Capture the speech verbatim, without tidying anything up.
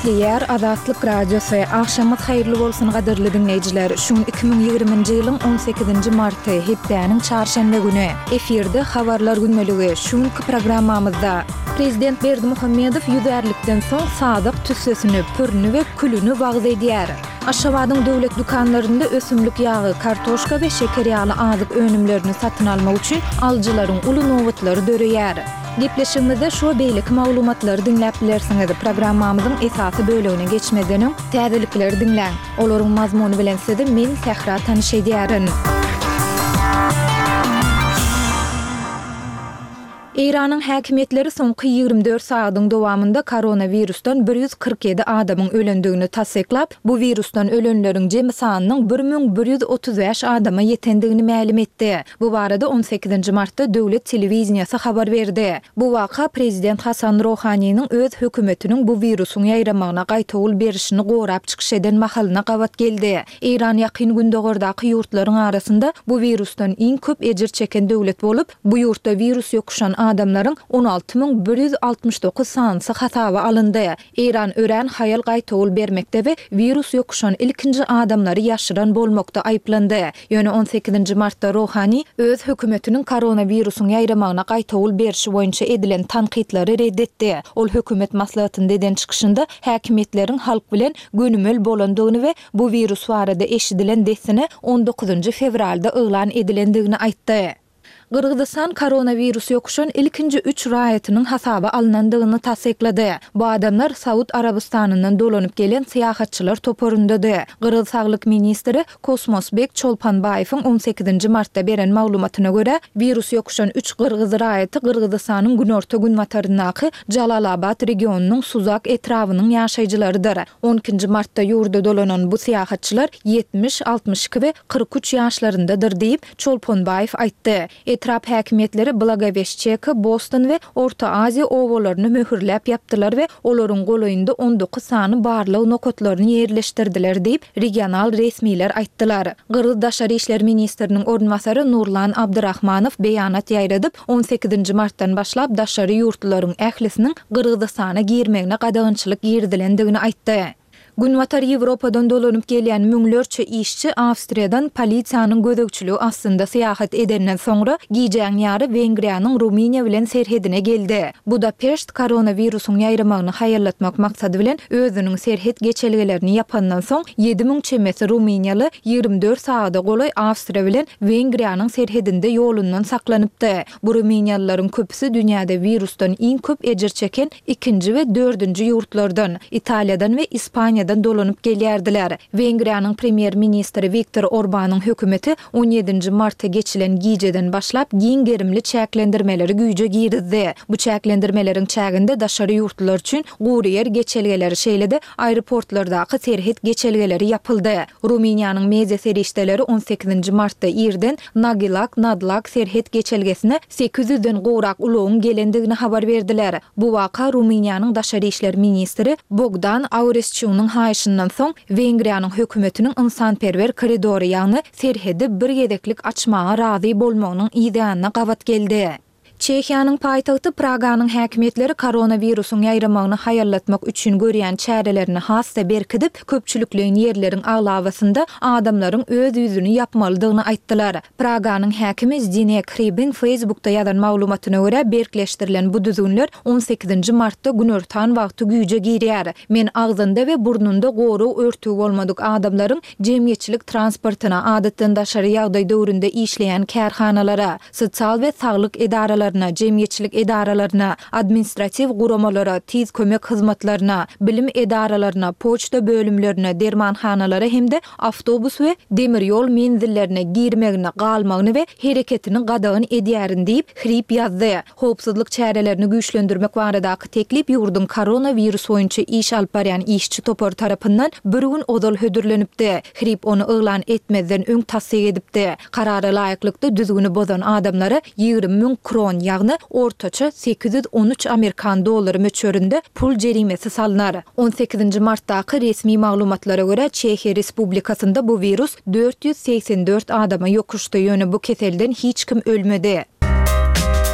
Gepleýär Azatlyk Radiosy. Agşamyňyz haýyrly bolsun gadyrly diňleýjiler. Şu gün iki müň ýigriminji ýylyň on sekizinji marty, hepdäniň çarşenbe güni. Efirde Habarlar gündeligi. Şu günki programmamyzda. Prezident Berdimuhamedow ýüzärlikden soň sazak tüssesini, pürüni we külüni wagyz edýär. Aşgabadyň döwlet dükanlarynda ösümlik ýagy, kartoşka we şeker ýaly azyk önümlerini satyn almak üçin alyjylaryň uly nobatlary döreýär. Gepleşigimizde şu we beýleki maglumatlary diňläp bilersiňiz. Programmamyzyň esasy bölegine geçmezden öň, täzelikleri diňläň. Olaryň mazmuny bilen sizi men, Sähra tanyş edýärin. Eýranyň häkimiýetleri soňky ýigrimi dört sagadyň dowamynda koronawirusdan bir ýüz kyrk ýedi adamyň ölendigini tassyklap, bu wirusdan ölenleriň jemi sanynyň bir müň bir ýüz otuz bäş adama ýetendigini mälim etdi. Bu barada on sekizinji martda döwlet telewideniýesi habar berdi. Bu waka prezident Hasan Rohaniniň öz hökümetiniň bu wirusyň ýaýramagyna gaýtawul berişini gorap çykyş eden mahalyna gabat geldi. Eýran Ýakyn Gündogardaky ýurtlaryň arasynda bu wirusdan iň köp ejir çeken döwlet bolup, bu ýurtda wirus ýokuşan adamlaryň on alty müň bir ýüz altmyş dokuz sanysy hasaba alyndy. Eýran örän haýal gaýtawul bermekde we wirus ýokuşan ilkinji adamlary ýaşyran bolmakda aýyplandy. Ýöne on sekizinji martda Rohani öz hökümetiniň koronawirusyň ýaýramagyna gaýtawul berşi boýunça edilen tankytlary ret etdi. Ol hökümet maslahatynda eden çykyşynda häkimiýetleriň halk bilen gönümel bolandygyny we bu wirus barada eşidilen dessine on dokuzynjy fewralda yglan edilendigini aýtdy. Gyrgyzystan koronawirus ýokuşan ilkinji üç raýatynyň hasaba alnandygyny tassyklady. Bu adamlar Saud Arabystanyndan dolanyp gelen syýahatçylar toparyndady. Gyrgyz saglyk ministri Kosmosbek Çolpanbaýewiň on sekizinji martda beren maglumatyna görä, wirus ýokuşan üç gyrgyz raýaty Gyrgyzystanyň günorta-günbataryndaky Jalalabat regionynyň Suzak etrabynyň ýaşaýjylarydyr. On ikinji martda ýurda dolanan bu syýahatçylar ýetmiş, altmyş iki we kyrk üç ýaşlaryndadyr diýip, Çolponbaýew aýtdy. Etrap häkimiýetleri Blagoweşçeka, Boston we Orta Aziýa obalaryny möhürläp ýapdylar we olaryň golaýynda on dokuz sany barlag nokatlaryny ýerleşdirdiler diýip, regional resmiler aýtdylar. Gyrgyz daşary işler ministriniň orunbasary Nurlan Abdyrahmanow beýanat ýaýradyp, on sekizinji martdan başlap daşary ýurtlularyň ählisiniň Gyrgyzystana girmegine gadagançylyk girizilendigini aýtdy. Günbatar Ýewropadan dolanyp gelýän müňlerçe işçi Awstriýadan polisiýanyň gözegçiligi astynda syýahat edenden soňra, gijäň ýary Wengriýanyň Rumyniýa bilen serhedine geldi. Budapeşt koronawirusyň ýaýramagyny haýallatmak maksady bilen özüniň serhet geçelgelerini ýapandan soň, ýedi müň çemesi rumyniýaly ýigrimi dört sagada golaý Awstriýa bilen Wengriýanyň serhedinde ýolundan saklanypdy. Bu rumyniýalylaryň köpüsi dünýäde wirusdan iň köp ejir çeken ikinji we dördünji ýurtlardan, Italiýadan we Ispaniýadan dolanyp gelýärdiler. Wengriýanyň premýer-ministri Wiktor Orbanyň hökümeti on ýedinji marta geçilen gijeden başlap giň gerimli çäklendirmeleri güýje girizdi. Bu çäklendirmeleriň çäginde daşary ýurtlular üçin gury ýer geçelgeleri, şeýle-de aeroportlardaky serhet geçelgeleri ýapyldy. Rumyniýanyň media serişdeleri on sekizinji martda irden Nagilak-Nadlak serhet geçelgesine sekiz ýüzden gowrak ulagyň gelendigini habar berdiler. Bu waka Rumyniýanyň daşary işler ministri Bogdan Auresçunyň haýyşyndan soň Wengriýanyň hökümetiniň ynsanperwer koridory, ýagny serhedi bir gezeklik açmaga razy bolmagynyň yzýanyna gabat geldi. Çehiýanyň paýtagty Praganyň häkimiýetleri koronawirusyň ýaýramagyny haýallatmak üçin görýän çärelerini has-da berkidip, köpçülikleýin ýerleriň aglabasynda adamlaryň öz ýüzüni ýapmalydygyny aýtdylar. Praganyň häkimi Zdinek Hribiň Facebookda ýazan maglumatyna görä, berkleşdirilen bu düzgünler on sekizinji martda günortan wagty güýje girýär. Men agzynda we burnunda gorag örtügi bolmadyk adamlaryň jemgyýetçilik transportyna, adatdan daşary ýagdaý döwründe işleýän kärhanalara, sosial we saglyk edaralaryna, jemgyýetçilik edaralaryna, administratiw guramalara, tiz kömek hyzmatlaryna, bilim edaralaryna, poçta bölümlerine, dermanhanalara hem-de awtobus we demir ýol menzillerine girmegini, galmagyny we hereketini gadagan edýärin diýip, Hrib ýazdy. Howpsuzlyk çärelerini güýçlendirmek baradaky teklip ýurduň koronawirus boýunça iş alyp barýan işçi topary tarapyndan bir gün ozal hödürlenipdi. Hrib ony yglan etmezden öň tassyk edipdi. Karara laýyklykda, düzgüni bozan adamlara ýigrimi müň kron, ýagny ortaça sekiz ýüz on üç amerikan dollary möçberinde pul jerimesi salnar. On sekizinji martdaky resmi maglumatlara görä, Çehiýa Respublikasynda bu wirus dört ýüz segsen dört adama ýokuşdy, ýöne bu keselden hiç kim ölmedi.